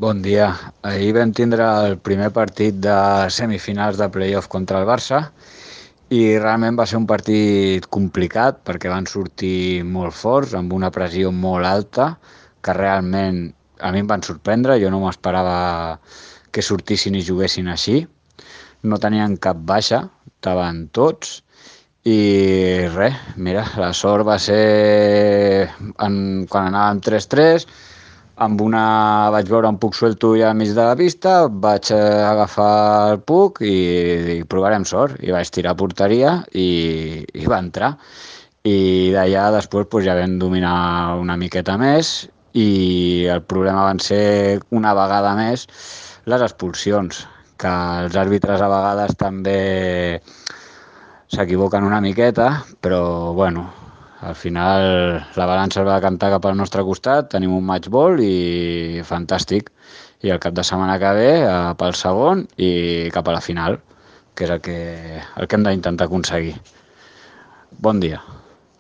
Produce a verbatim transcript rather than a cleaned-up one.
Bon dia. Ahir vam tindre el primer partit de semifinals de playoff contra el Barça i realment va ser un partit complicat perquè van sortir molt forts, amb una pressió molt alta, que realment a mi em van sorprendre, jo no m'esperava que sortissin i juguessin així. No tenien cap baixa, estaven tots, i res, mira, la sort va ser en, quan anàvem tres tres, amb una vaig veure un puc suelto ja al mig de la pista, vaig eh, agafar el puc i, i provarem sort, i vaig tirar a porteria i, i va entrar. I d'allà després pues, ja vam dominar una miqueta més i el problema van ser una vegada més les expulsions, que els àrbitres a vegades també s'equivoquen una miqueta, però bueno, al final la balança es va cantar cap al nostre costat, tenim un match ball i fantàstic. I el cap de setmana que ve eh, pel segon i cap a la final, que és el que, el que hem d'intentar aconseguir. Bon dia.